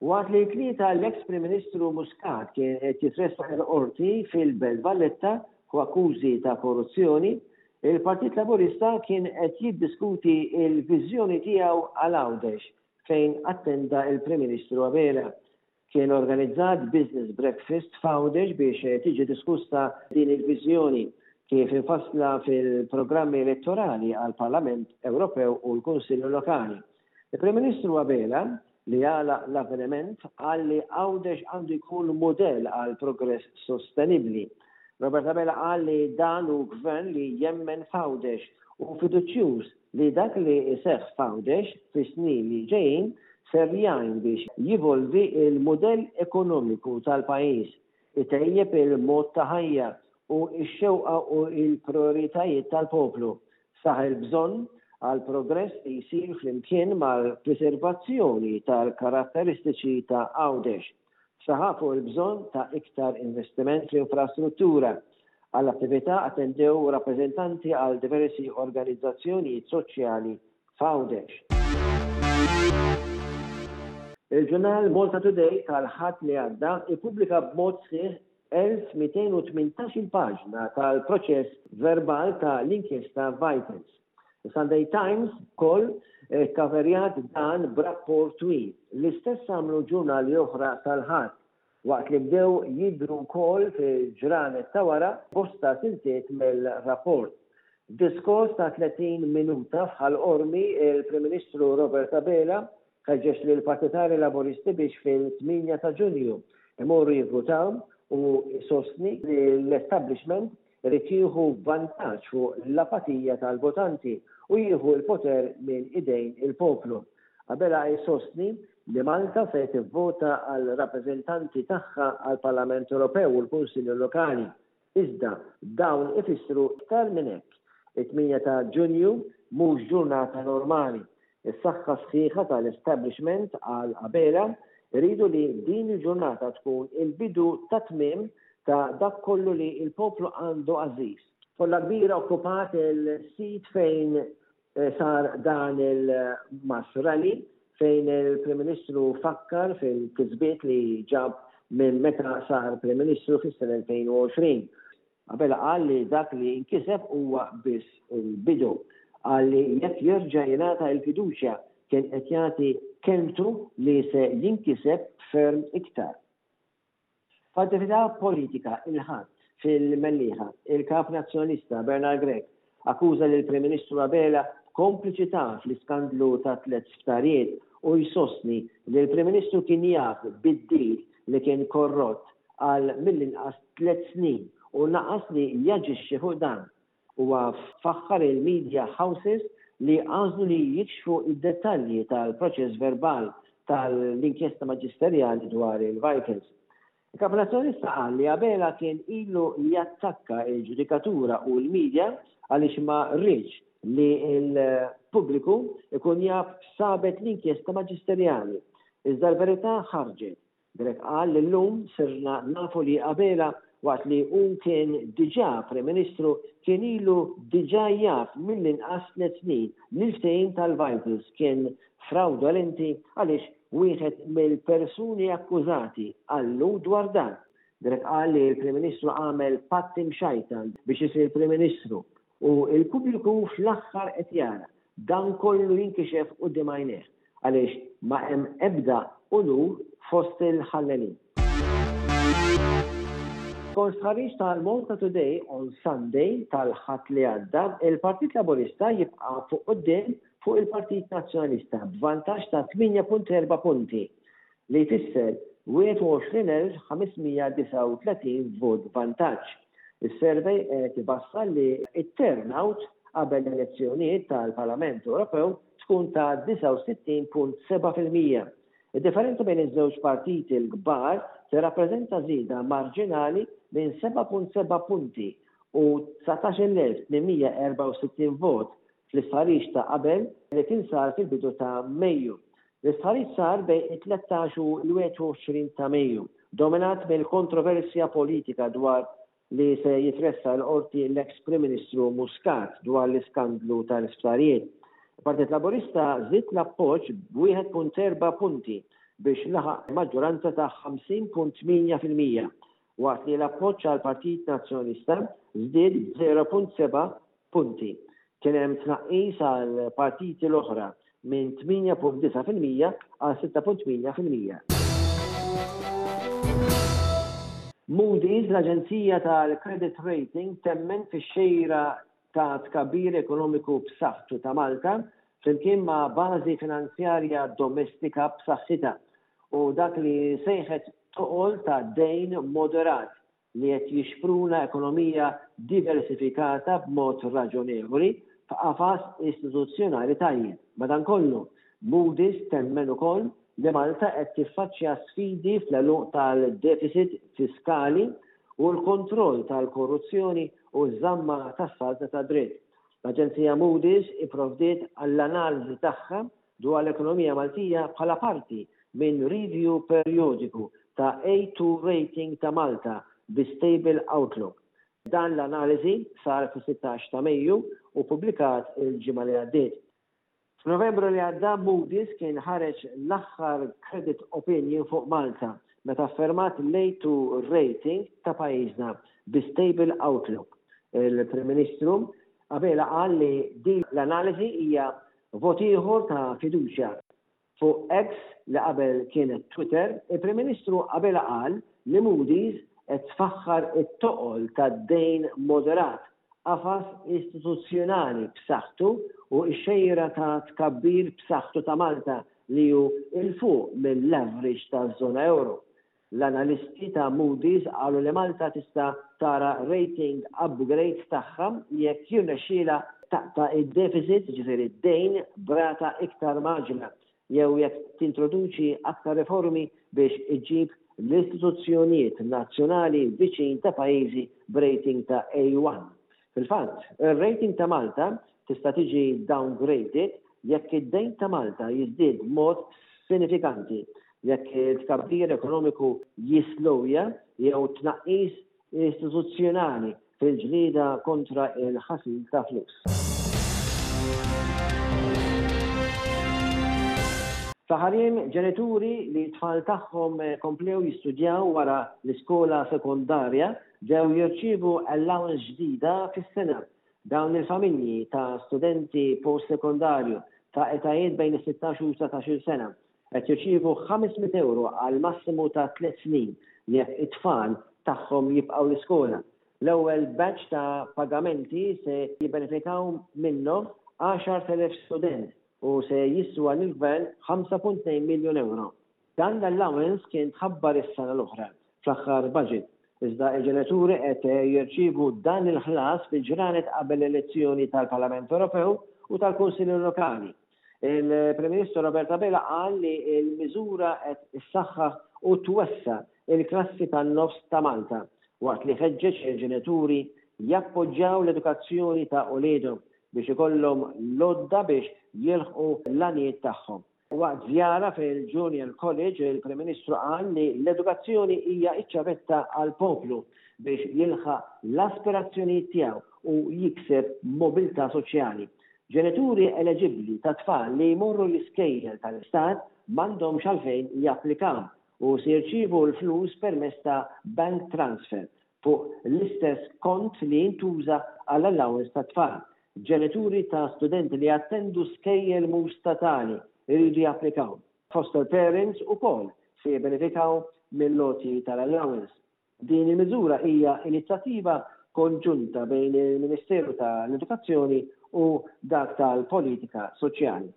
Waqt li t-Tlieta l-eks Prim Ministru Muscat kien qed jitressaq il-Qorti fil-Belt Valletta fuq akkużi ta' korruzzjoni, il-Partit Laburista kien qed jiddiskuti l-viżjoni tiegħu għal Għawdex fejn attenda l-Prim Ministru Abela. Kien organizzat business breakfast f'Għawdex biex tiġi diskussa din il-viżjoni kif imfassla fil-programmi elettorali għall-Parlament Ewropew u l-Kunsilli Lokali. Il-Prim Ministru Abela, li għalaq l-avveniment, qal li Għawdex għandu jkun mudell għal progress sostenibbli. Robert Abela qal li dan hu Gvern li jemmen f'Għawdex u fiduċjuż li dak li jseħħ f'Għawdex fis-snin li ġejjin ser jgħin biex jivolvi l-mudell ekonomiku tal-pajjiż, itejjeb il-mod ta' ħajja u x-xewqa u l-prijoritajiet tal-poplu. Saħaq il-bżonn għal progress li jsir flimkien mal-priservazzjoni tal-karatteristiċi ta' Għawdex. Saħaq fuq il-bżonn ta' iktar investiment fl-infrastruttura. Għall-attività attendew rappreżentanti għal diversi organizzazzjonijiet soċjali f'Għawdex. Il-ġurnal Malta Today tal-Ħadd li għadda ippubblika b'mod sħiħ 1,218-il paġna tal-proċess verbal ta' l-inkjesta Vitals. The Sunday Times ukoll kkaverjat dan b'rapport twil. L-istess għamlu ġurnali oħra tal-Ħadd, waqt li bdew jidhru wkoll fil-ġranet ta' wara bosta siltiet mill-rapport. F'diskors ta' 30 minuta f'Ħal Qormi, il-Prim Ministru Robert Abela Ħeġġeġ lill-partitarji Laburisti biex fil-8 ta' Ġunju imorru jivvutaw u jsostni li l-establishment irid jieħu vantaġġ fuq l-apatija tal-votanti u jieħu l-poter minn idejn il-poplu. Abela jsostni li Malta se tivvota għal rappreżentanti tagħha għall-Parlament Ewropew u l-Kunsilli Lokali. Iżda dawn ifissru iktar minn hekk. It-8 ta' Ġunju mhux ġurnata normali. Is-saħħa sħiħa tal-establishment, qal Abela, iridu li din il-ġurnata tkun il-bidu tat-tmiem ta' dak kollu li l-poplu għandu għażiż. Folla kbira okkupat il-sit fejn Sar dan il-mass rally fejn il-Prim Ministru fakkar fil-kisbiet li ġab minn meta sar Prim Ministru fis-sena 2020. Abela qal li dak li nkiseb huwa biss il-bidu. Qal li jekk jerġa' jingħata l-fiduċja kien qed jagħti kelmtu li se jinkiseb ferm iktar. F'attività politika il-Ħadd fil-Mellieħa, il-Kap Nazzjonalista Bernard Grech akkuża lill-Prim Ministru Abela b'kompliċità fl-iskandlu tat-tlett sptarijiet u jsostni li l-Prim Ministru kien jaf bid-deal li kien korrott għal mill-inqas tlett snin u naqas li jaġixxi fuq dan. Huwa faħħar il-media houses li għażlu li jikxfu d-dettalji tal-proċess verbal tal-inkjesta maġisterjali dwar il-Vitals. Il-Kap Nazzjonalista qal li Abela kien ilu jattakka l-ġudikatura u l-media għaliex ma riedx li l-pubbliku jkun jaf x'sabet l-inkjesta maġisterjali. Iżda l-verità ħarġet. Grech qal li llum sirna nafu li Abela waqt li hu kien diġà Prim Ministru kien ilu diġà jaf mill-inqas tlett snin li l-ftehim tal-Vitals kien frawdolenti għaliex wieħed mill-persuni akkużati qallu dwar dan. Grech qal li l-Prim Ministru għamel patt imxajtan biex isir Prim Ministru u l-pubbliku fl-aħħar qed jara dan kollu jinkixef quddiem għajnejh. Għaliex ma hemm ebda unur fost il-ħallelin. Skont stħarriġ tal-Malta Today on Sunday tal-Ħadd li għadda, il-Partit Laburista jibqa' fuq quddiem fuq il-Partit Nazzjonalista b'vantaġġ ta' 8.4 punti, li jfisser 21,539 vot vantaġġ. Is-survey qed ibassar li t-turnout qabel l-elezzjonijiet tal-Parlament Ewropew tkun ta' 69.7%. Id-differenza bejn iż-żewġ partiti l-kbar tirrappreżenta żieda marġinali minn 7.7 punti u 19,864 vot fl-istħarriġ ta' qabel li kien sar fil-bidu ta' Mejju. L-istħarriġ sar bejn it-13 u l-21 ta' Mejju, dominat mill-kontroversja politika dwar li se jitressaq il-Qorti l-eks Prim Ministru Muscat dwar l-iskandlu tal-isptarijiet. Il-Partit Laburista żied l-appoġġ b'1.4 punti. biex laħaq maġġoranza ta' 50.8%, waqt li l-appoġġ għall-Partit Nazzjonalista żdied b'0.7 punti. Kien hemm tnaqqis għall-partiti l-oħra minn 8.9% għal 6.8%. Moody's, l-aġenzija tal-credit rating temmen fix-xejra ta' tkabbir ekonomiku b'saħħtu ta' Malta flimkien ma' bażi finanzjarja domestika b'saħħitha u dak li sejħet toqol ta' dejn moderat li qed jixpruna ekonomija diversifikata b'mod raġonevoli f'qafas istituzzjonali tajjeb. Madankollu, Moody's temmen ukoll li Malta qed tiffaċċja sfidi fl-għeluq tal-deficit fiskali u l-kontroll tal-korruzzjoni u ż-żamma tas-saltna tad-dritt. L-aġenzija Moody's ipprovdiet għall-analiżi tagħha dwar l-ekonomija Maltija bħala parti minn review perjodiku ta' A2 rating ta' Malta bi stable outlook. Dan l-analiżi sar fis-16 ta' Mejju u ppubblikat il-ġimgħa li għaddiet. F'Novembru li għadda Moody's kien ħareġ l-aħħar credit opinion fuq Malta meta affermat l-A2 rating ta' pajjiżna bi stable outlook. Il-Prim Ministru Abela qal li din l-analiżi hija vot ieħor ta' fiduċja. Fuq X, li qabel kienet Twitter, il-Prim Ministru Abela qal li Moody's qed tfaħħar it-toqol tad-dejn moderat, qafas istituzzjonali b'saħħtu u x-xejra ta' tkabbir b'saħħtu ta' Malta li hu 'l fuq mill-average taż-żona ewro. L-analisti ta' Moody's qalu li Malta tista' tara rating upgrade tagħha jekk jirnexxielha taqta' d-deficit, jiġifieri d-dejn, b'rata iktar mgħaġġla jew jekk tintroduċi aktar riformi biex iġġib l-istituzzjonijiet nazzjonali viċin ta' pajjiżi b'rating ta' A1. Fil-fatt, ir-rating ta' Malta tista' tiġi downgraded jekk id-dejn ta' Malta jiżdied b'mod sinifikanti, jekk it-tkabbir ekonomiku jislowja jew tnaqqis istituzzjonali fil-ġlieda kontra l-ħasil ta' flus. Fl-aħħar jiem, ġenituri li t-tfal tagħhom komplew jistudjaw wara l-iskola sekondarja bdew jirċievu allowance ġdida fis-sena. Dawn il-familji ta' studenti post-sekondarju ta' etajiet bejn is-sittax u 19-il sena qed jirċievu 500 ewro għal massimu ta' tliet snin jekk it-tfal tagħhom jibqgħu l-iskola. L-ewwel batch ta' pagamenti se jibbenefikaw minnhom 10,000 student u se jiswa lill-Gvern 5.2 miljun ewro. Dan l-allowance kien tħabbar is-sena l-oħra fl-aħħar budget, iżda l-ġenituri qed jirċievu dan il-ħlas fil-ġranet qabel l-elezzjoni tal-Parlament Ewropew u tal-Kunsilli Lokali. Il-Prim Ministru Robert Abela qal li l-miżura qed issaħħaħ u twessa' l-klassi tan-nofs ta' Malta, waqt li ħeġġeġ il-ġenituri jappoġġjaw l-edukazzjoni ta' uliedhom biex ikollhom l-għodda biex jilħqu l-għanijiet tagħhom. Waqt żjara fil-Junior College, il-Prim Ministru qal li l-edukazzjoni hija ċ-ċavetta għall-poplu biex jilħaq l-aspirazzjonijiet tiegħu u jikseb mobilità soċjali. Ġenituri eleġibbli ta' tfal li jmorru l-iskejjel tal-Istat m'għandhomx għalfejn japplikaw u se jirċievu l-flus permezz ta' bank transfer fuq l-istess kont li jintuża għall-allowance tat-tfal. Ġenituri ta' studenti li jattendu skejjel mhux statali jridu japplikaw. Foster parents ukoll se jibbenefikaw mill-għoti tal-allowance. Din il-miżura hija inizjattiva konġunta bejn il-Ministeru ta' l-Edukazzjoni u dak tal-Politika Soċjali.